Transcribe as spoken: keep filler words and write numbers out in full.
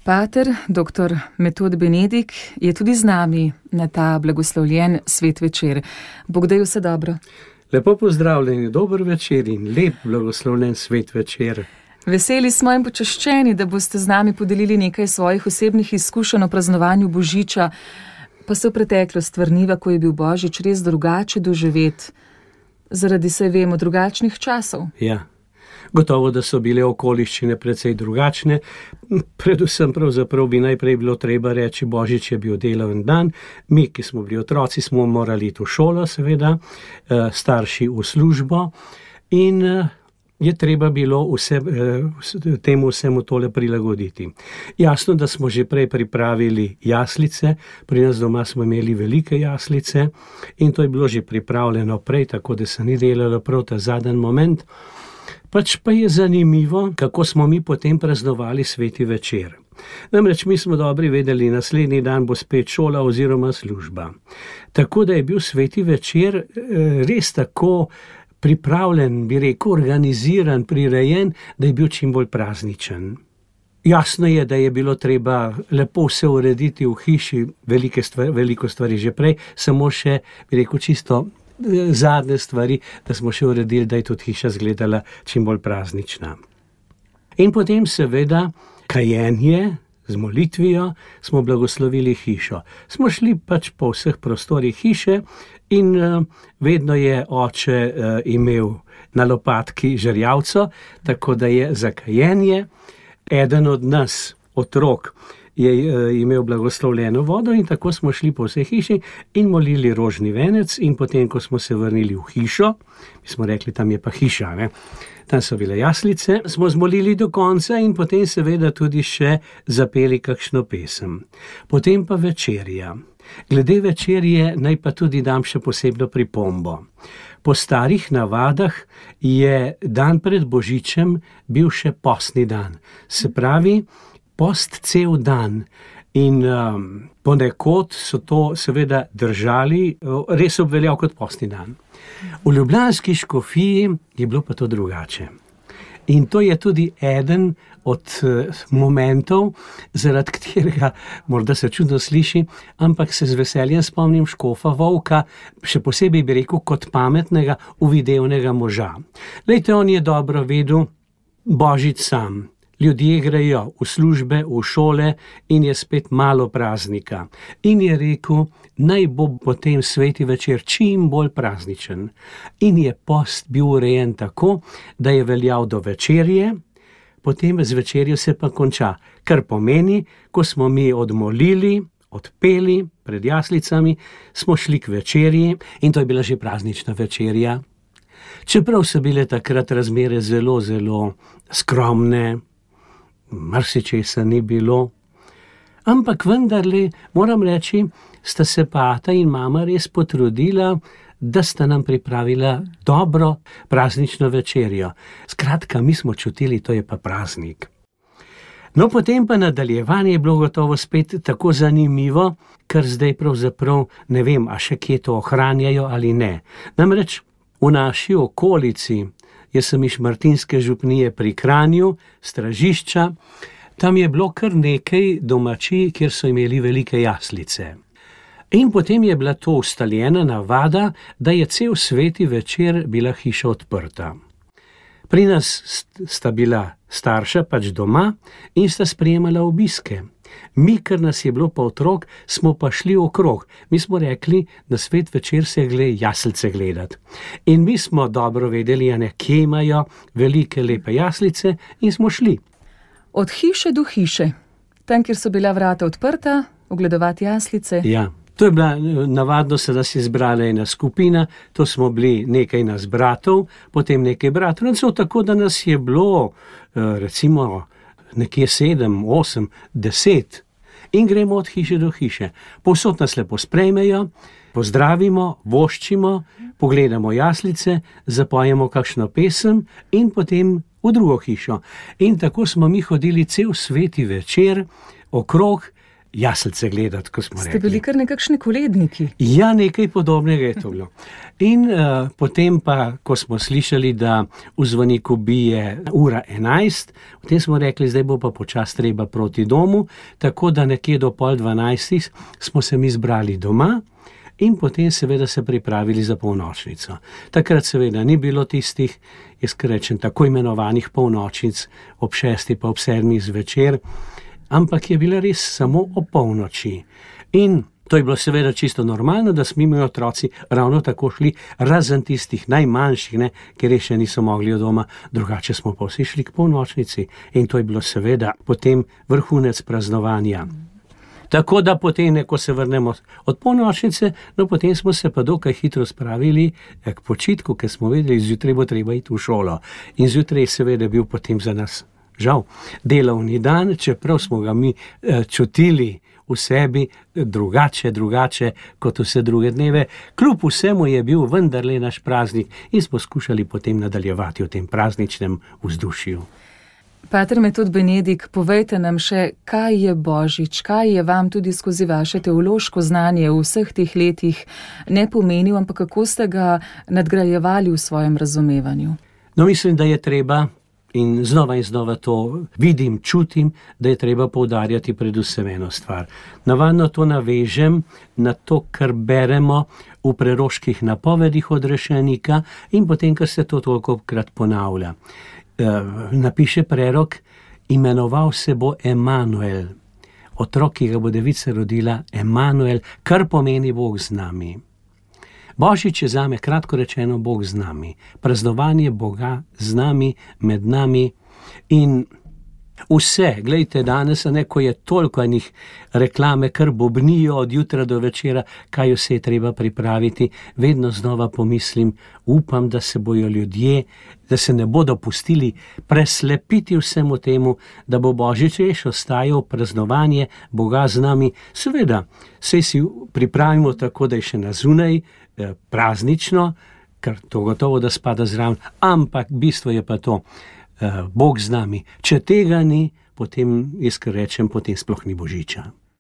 Pater doktor Metod Benedik je tudi z nami na ta blagoslovljen svet večer. Bog daj vse dobro. Lepo pozdravljeni, dober večer in lep blagoslovljen svet večer. Veseli smo in počaščeni, da boste z nami podelili nekaj svojih osebnih izkušenj o praznovanju Božiča, pa se v preteklost vrniva, ko je bil Božič res drugače doživet, zaradi, saj vemo, drugačnih časov. Ja. Gotovo, da so bile okoliščine precej drugačne. Predvsem pravzaprav bi najprej bilo treba reči, Božič je bil delaven dan. Mi, ki smo bili otroci, smo morali iti v šolo, seveda, starši v službo in je treba bilo vse, temu vsemu tole prilagoditi. Jasno, da smo že prej pripravili jaslice, pri nas doma smo imeli velike jaslice in to je bilo že pripravljeno prej, tako da se ni delalo prav ta zadnji moment. Pač pa je zanimivo, kako smo mi potem praznovali sveti večer. Namreč mi smo dobri vedeli, naslednji dan bo spet šola oziroma služba. Tako da je bil sveti večer res tako pripravljen, bi rekel, organiziran, prirejen, da je bil čim bolj prazničen. Jasno je, da je bilo treba lepo vse urediti v hiši, velike stvari, veliko stvari že prej, samo še, bi rekel, čisto zadnje stvari, da smo še uredili, da je tudi hiša izgledala čim bolj praznična. In potem seveda kajenje z molitvijo smo blagoslovili hišo. Smo šli pač po vseh prostorih hiše in uh, vedno je oče uh, imel na lopatki žerjavco, tako da je za kajenje eden od nas, otrok, je imel blagoslovljeno vodo in tako smo šli po vsej hiši in molili rožni venec in potem, ko smo se vrnili v hišo, mi smo rekli, tam je pa hiša, ne? Tam so bile jaslice, smo zmolili do konca in potem seveda tudi še zapeli kakšno pesem. Potem pa večerja. Glede večerje naj pa tudi dam še posebno pripombo. Po starih navadah je dan pred Božičem bil še postni dan. Se pravi, post cel dan in um, ponekod so to seveda držali, res obveljal kot postni dan. V ljubljanski škofiji je bilo pa to drugače. In to je tudi eden od uh, momentov, zaradi katerega, morda se čudno sliši, ampak se z veseljem spomnim škofa Volka, še posebej bi rekel kot pametnega, uvidevnega moža. Lejte, on je dobro vedel Božič sam. Ljudje grejo v službe, v šole in je spet malo praznika. In je rekel, naj bo potem sveti večer čim bolj prazničen. In je post bil urejen tako, da je veljal do večerje, potem z večerjo se pa konča. Kar pomeni, ko smo mi odmolili, odpeli pred jaslicami, smo šli k večerji in to je bila že praznična večerja. Čeprav so bile takrat razmere zelo, zelo skromne, marsičesa ni bilo, ampak vendarle, moram reči, sta se pa ata in mama res potrudila, da sta nam pripravila dobro praznično večerjo. Skratka, mi smo čutili, to je pa praznik. No, potem pa nadaljevanje je bilo gotovo spet tako zanimivo, ker zdaj pravzaprav ne vem, a še kje to ohranjajo ali ne. Namreč v naši okolici, jaz sem iz Šmartinske župnije pri Kranju, Stražišča, tam je bilo kar nekaj domačij, kjer so imeli velike jaslice. In potem je bila to ustaljena navada, da je cel sveti večer bila hiša odprta. Pri nas sta bila starša pač doma in sta sprejemala obiske. Mi, ker nas je bilo pa otrok, smo pa šli okrog. Mi smo rekli, na svet večer se gre jaslice gledati. In mi smo dobro vedeli, a ne, kje imajo velike lepe jaslice in smo šli. Od hiše do hiše, tam, kjer so bila vrata odprta, ogledovati jaslice. Ja, to je bila navadno, se nas je zbrala ena skupina, to smo bili nekaj nas bratov, potem nekaj bratrancev, tako da nas je bilo, recimo, nekje sedem, osem, deset in gremo od hiše do hiše. Povsod nas lepo sprejmejo, pozdravimo, voščimo, pogledamo jaslice, zapojemo kakšno pesem in potem v drugo hišo. In tako smo mi hodili cel sveti večer okrog jaslice gledati, ko smo Ste rekli. Ste bili kar nekakšni koledniki? Ja, nekaj podobnega je to bilo. In uh, potem pa, ko smo slišali, da v zvoniku bije ura enajst, potem smo rekli, zdaj bo pa počas treba proti domu, tako da nekje do pol dvanajstih smo se mi zbrali doma in potem seveda se pripravili za polnočnico. Takrat seveda ni bilo tistih, jaz rečem, tako imenovanih polnočnic ob šesti pa ob sedmih zvečer, ampak je bila res samo o polnoči. In to je bilo seveda čisto normalno, da smo mi otroci ravno tako šli, razen tistih najmanjših, ne, ker še niso mogli od doma, drugače smo pa vsi šli k polnočnici in to je bilo seveda potem vrhunec praznovanja. Tako da potem, ko se vrnemo od polnočnice, no potem smo se pa dokaj hitro spravili k počitku, ker smo vedeli, zjutraj bo treba iti v šolo. In zjutraj seveda bil potem za nas žal delovni dan, čeprav smo ga mi eh, čutili v sebi drugače, drugače kot vse druge dneve. Kljub vsemu je bil vendarle naš praznik in smo skušali potem nadaljevati v tem prazničnem vzdušju. Pater Metod Benedik, povejte nam še, kaj je Božič, kaj je vam tudi skozi vaše teološko znanje v vseh teh letih ne pomenil, ampak kako ste ga nadgrajevali v svojem razumevanju? No, mislim, da je treba, in znova in znova to vidim, čutim, da je treba poudarjati predvsem eno stvar. Navadno to navežem na to, kar beremo v preroških napovedih odrešenika in potem, kar se to tolikokrat ponavlja. E, napiše prerok, imenoval se bo Emanuel, otrok, ki ga bo devica rodila, Emanuel, kar pomeni Bog z nami. Božič je zame kratko rečeno Bog z nami, praznovanje Boga z nami, med nami in vse, gledajte danes, ne, ko je toliko enih reklame, kar bobnijo od jutra do večera, kaj vse je treba pripraviti, vedno znova pomislim, upam, da se bojo ljudje, da se ne bodo pustili preslepiti vsemu temu, da bo Božič res ostajal praznovanje Boga z nami. Seveda, saj si pripravimo tako, da je še na zunaj eh, praznično, ker to gotovo, da spada zraven, ampak bistvo je pa to, Bog z nami. Če tega ni, potem, jaz kar rečem, potem sploh ni Božiča.